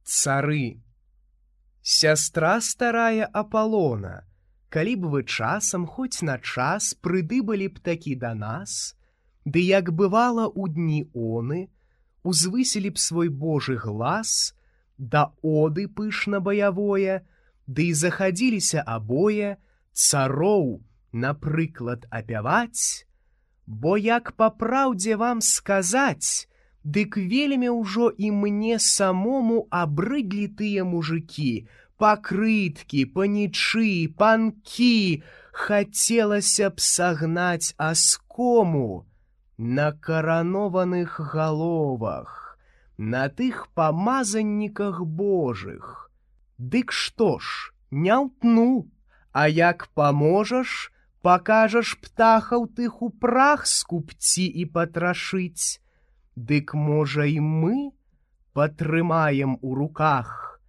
Цары. Сястра старая Аполлона, калі б вы часам хоць на час прыдыбалі б такі да нас, ды як бывала ў дні оны, узвысілі б свой Божы глас, да оды пышна баявое, ды і захадзіліся абое цароў, напрыклад, апяваць, бо як па праўдзе вам сказаць, дык вельмі ўжо і мне самому абрыдлі тыя мужыкі, пакрыткі, панічы, панкі, хацелася б сагнаць аскому на каранованых галовах, на тых памазанніках Божых. Дык што ж, не ўтну, а як паможаш, пакажаш птахаў тых у прах скупці і патрашыць, дык можа і мы патрымаем у руках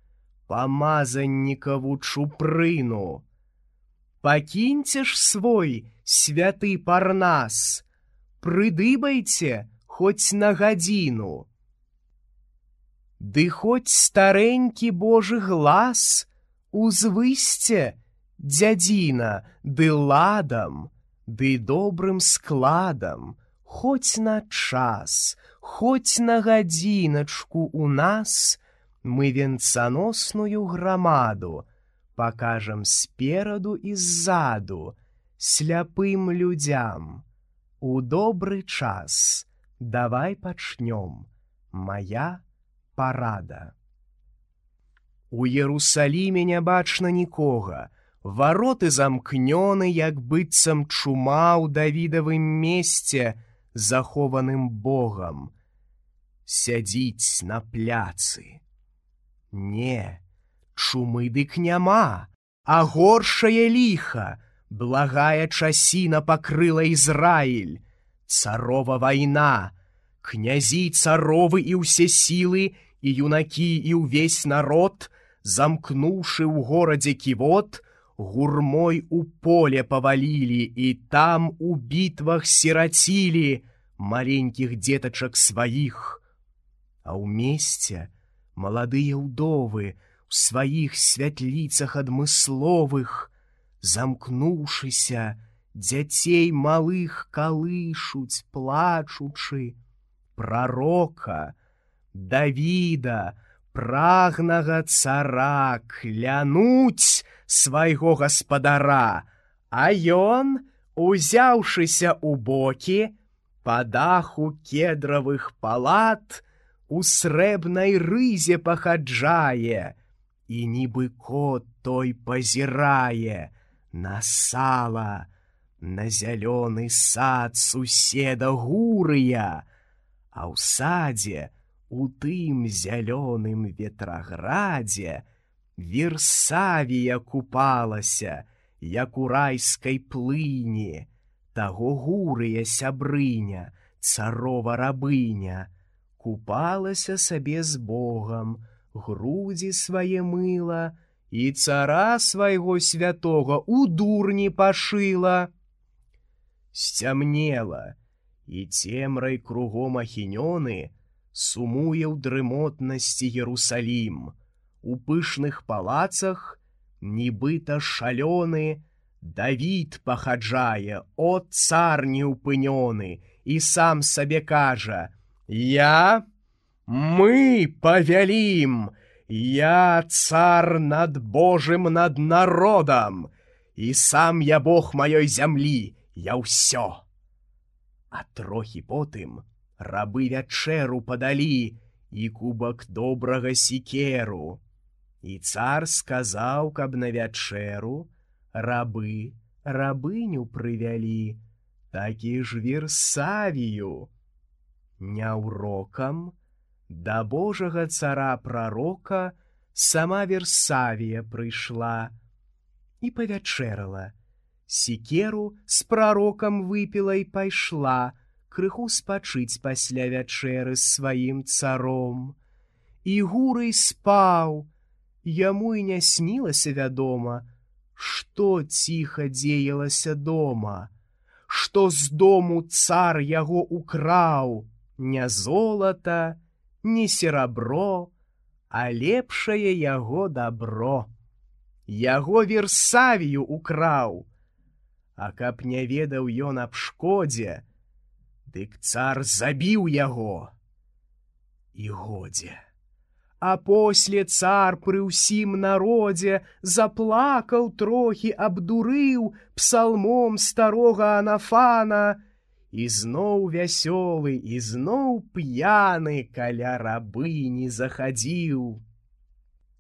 памазаннікаву чупрыну. Пакіньце ж свой святы Парнас, прыдыбайце хоць на гадзіну. Ды хоць старэнькі Божы глас узвысьце, дзядзіна, ды ладам, ды добрым складам, хоць на час, хоць на гадзіначку у нас мы венцаносную грамаду пакажам спераду і ззаду сляпым людзям. У добры час давай пачнём, мая парада. У Єрусаліме не бачна нікога, вароты замкнёны, як быццам чума ў Давідавым месце, захованым Богам. Сядзіць на пляцы. Не, чумы дык няма, а горшае ліха, благая часіна пакрыла Ізраіль. Царова вайна, князі царовы і ўсе сілы, і юнакі, і ўвесь народ, замкнуўшы ў горадзе ківот, гурмой у поле павалілі і там у бітвах сірацілі маленькіх дзетачак сваіх. А ў месце маладыя ўдовы у сваіх святліцах адмысловых, замкнуўшыся, дзяцей малых калышуць, плачучы, прарока, Давіда, прагнага цара, клянуць свайго гаспадара, а ён, узяўшыся ў бокі, па даху кедравых палат у срэбнай рызе пахаджае, і нібы кот той пазірае на сала, на зялёны сад суседа Гурыя, а ў садзе, у тым зялёным ветраградзе, Версавія купалася, як у райскай плыні, таго Гурыя сябрыня, царова рабыня, купалася сабе з Богам, грудзі свае мыла і цара свайго святога у дурні пашыла. Сцямнела, і цемрай кругом ахінёны сумуе ў дрымотнасці Єрусалім. У пышных палацах, нібыта шалёны, Давід пахаджае, о цар неўпынёны, і сам сабе кажа: мы павялім, я цар над Божым, над народам, і сам я Бог маёй зямлі, я ўсё. А трохі потым рабы вячэру падалі і кубак добрага сікеру. І цар сказаў, каб на вячэру рабы рабыню прывялі, такі ж Версавію. Няўрокам да Божага цара-прарока сама Версавія прыйшла і павячэрала, сікеру з прарокам выпіла і пайшла крыху спачыць пасля вячэры з сваім царом. І Гурый спаў, яму і не снілася, вядома, што ціха дзеялася дома, што з дому цар яго украў, не золата, не серабро, а лепшае яго дабро. Яго Версавію украў. А каб не ведаў ён аб шкодзе, дык цар забіў яго. І годзе. А после цар пры ўсім народзе заплакаў трохі, абдурыў псалмом старога Анафана, і зноў вясёлы, і зноў п'яны каля рабыні захадзіў.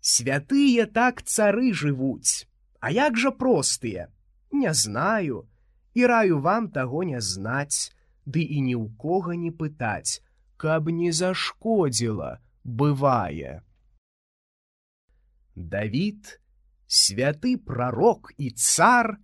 Святыя так цары жывуць, а як жа простыя? Не знаю, і раю вам таго не знаць, ды і ні ў кога не пытаць, каб не зашкодзіла, бывае. Давід, святы прарок і цар,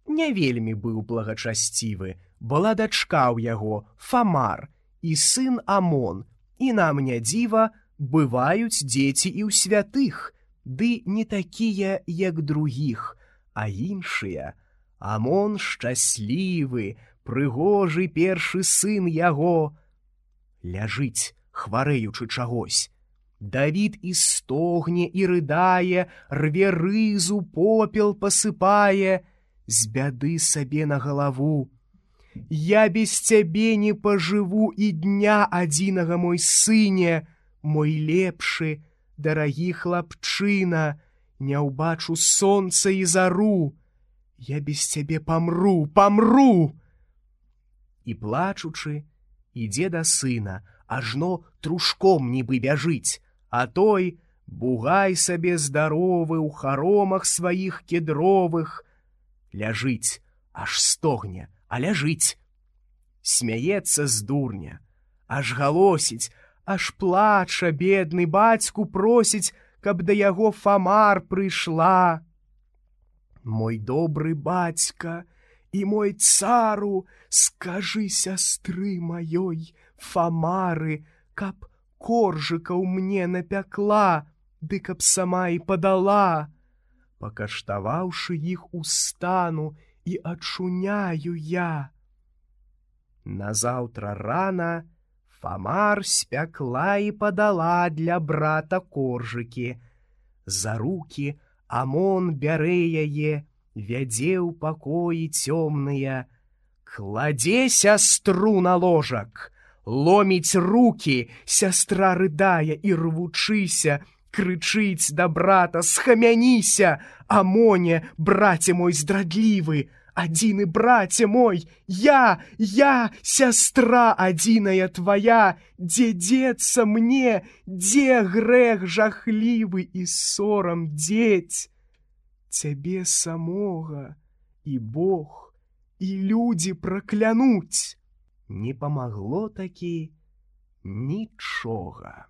не вельмі быў благачасцівы, была дачка ў яго Фамар і сын Амон, і нам не дзіва, бываюць дзеці і ў святых, ды не такія, як другіх, а іншыя. Амон шчаслівы, прыгожы першы сын яго. Ляжыць, хварэючы чагось. Давід і стогне, і рыдае, рве рызу, попел пасыпае, з бяды сабе на галаву. Я без цябе не пажыву і дня адзінага, мой сыне, мой лепшы, дарагі хлапчына, не ўбачу сонца і зару. Я без цябе памру, памру. І плачучы, ідзе да сына, ажно трушком нібы бяжыць, а той бугай сабе здаровы ў харомах сваіх кедровых. Ляжыць, аж стогне, а ляжыць. Смяецца з дурня, аж галосіць, аж плача бедны, бацьку просіць, каб да яго Фамар прыйшла. Мой добры бацька і мой цару, скажы сястры маёй Фамары, каб коржыкаў мне напякла, ды каб сама і падала. Пакаштаваўшы іх, устану і ачуняю я. Назаўтра рана Фамар спякла і падала для брата коржыкі. За рукі Амон бярэ яе, вядзе ў пакоі цёмныя, кладзе сястру на ложак, ломіць рукі, сястра рыдае і рвучыся, крычыць да брата: схамяніся, Амоне, браце мой здрадлівы, адзіны браце мой, я, сястра адзіная твая, дзе дзецца мне, дзе грэх жахлівы і сорам дзець? Цябе самога і Бог, і людзі праклянуць. Не памагло такі нічога.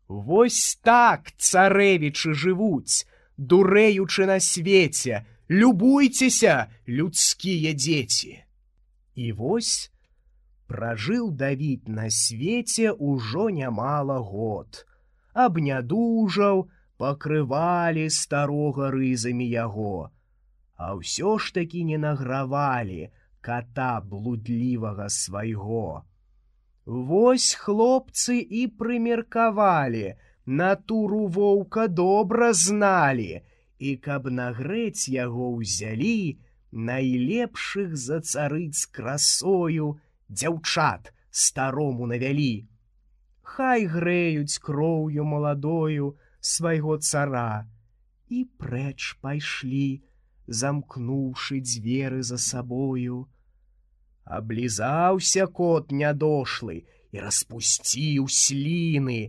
Вось так царэвічы жывуць, дурэючы на свеце. Любуйцеся, людскія дзеці. І вось пражыў Давід на свеце ўжо нямала год. Абнядужаў, пакрывалі старога рызамі яго, а ўсё ж такі не награвалі ката блудлівага свайго. Вось хлопцы і прымеркавалі, натуру воўка добра зналі, і каб нагрэць яго ўзялі, найлепшых за царыц красою дзяўчат старому навялі. Хай грэюць кроўю маладою свайго цара, і прэч пайшлі, замкнуўшы дзверы за сабою. Аблізаўся кот нядошлы і распусціў сліны,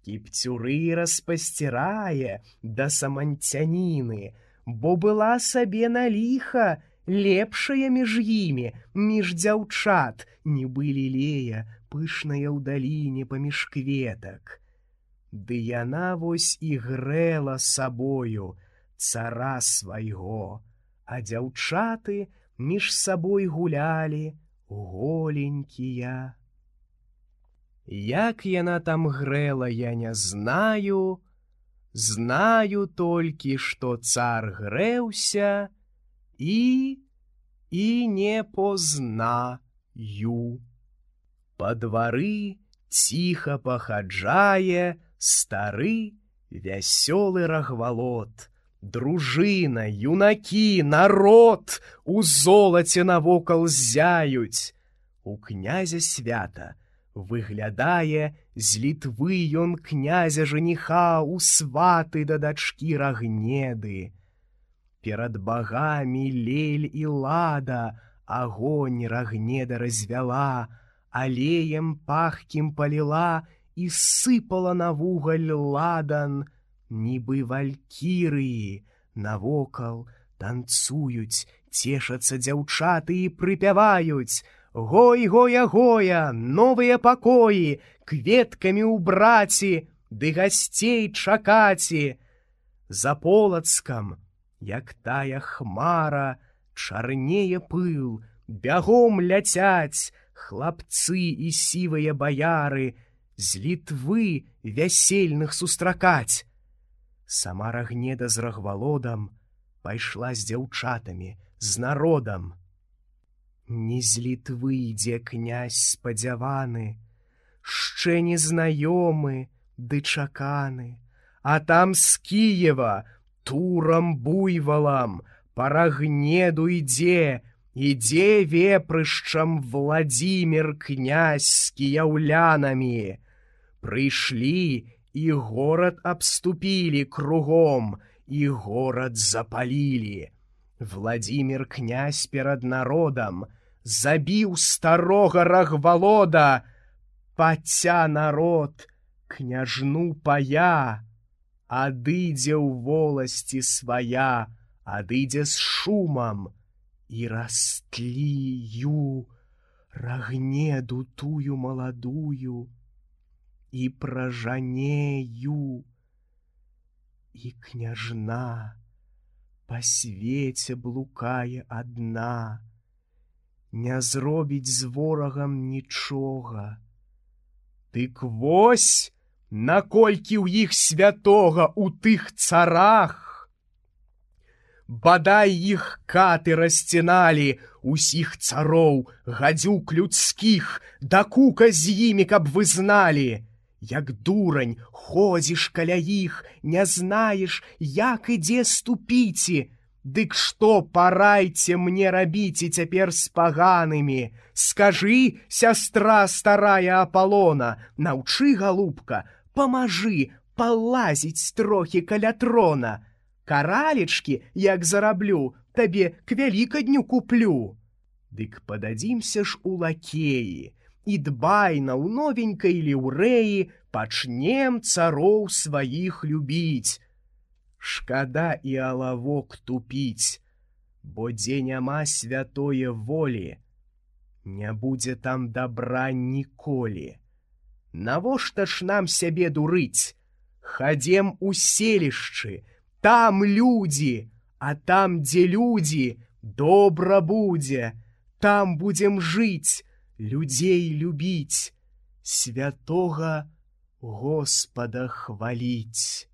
кіпцюры распасцірае да саманцяніны, бо была сабе на ліха лепшая між імі, між дзяўчат, нібы лілея, пышная ў даліне паміж кветак. Ды яна вось і грэла сабою цара свайго, а дзяўчаты між сабой гулялі голенькія. Як яна там грэла, я не знаю, знаю толькі, што цар грэўся і не познаю. Па двары ціха пахаджае Стары вясёлы рагвалот, дружына, юнакі, народ у золаце навокал зяюць. У князя свята выглядае з Літвы ён князя жаніха у сваты да дачкі Рагнеды. Перад багамі Лель і Лада агонь Рагнеда развяла, алеем пахкім паліла і сыпала на вугаль ладан, нібы валькірыі. Навокал танцуюць, цешацца дзяўчаты і прыпяваюць: гой, гоя, гоя, новыя пакоі, кветкамі ўбраці, ды гасцей чакаці. За Полацкам, як тая хмара, чарнее пыл, бягом ляцяць хлапцы і сівыя баяры, з Літвы вясельных сустракаць. Сама Рагнеда з Рагвалодам пайшла з дзяўчатамі, з народам. Не з Літвы ідзе князь спадзяваны, шчэ незнаёмы ды чаканы, а там з Кіева турам буйвалам па Рагнеду ідзе вепрышчам Владзімір князь з кіяўлянамі. Прыйшлі і горад абступілі кругом, і горад запалілі. Владзімір князь перад народам забіў старога Рагвалода, паця народ княжну пая, адыдзе ў воласці свая, адыдзе з шумам, і растлію Рагнеду тую маладую, і пражанею, і княжна па свеце блукае адна, не зробіць з ворагам нічога. Дык вось, наколькі ў іх святога у тых царах! Бадай іх каты расціналі, усіх цароў, гадзюк людскіх, да кука з імі, каб вы зналі. Як дурань ходзіш каля іх, не знаеш, як і дзе ступіці. Дык што парайце мне рабіце цяпер з паганымі? Скажы, сястра старая Апалона, наўчы, галубка, памажы палазіць трохі каля трона. Каралечкі, як зараблю, табе к вялікадню куплю. Дык пададзімся ж у лакеі, і дбайна ў новенькай ліўрэі пачнем цароў сваіх любіць. Шкада і алавок тупіць, бо дзе няма святое волі, не будзе там дабра ніколі. Навошта ж нам сябе дурыць? Хадзем у селішчы, там людзі, а там, дзе людзі, добра будзе, там будзем жыць, людзей любіць, святога Господа хваліць.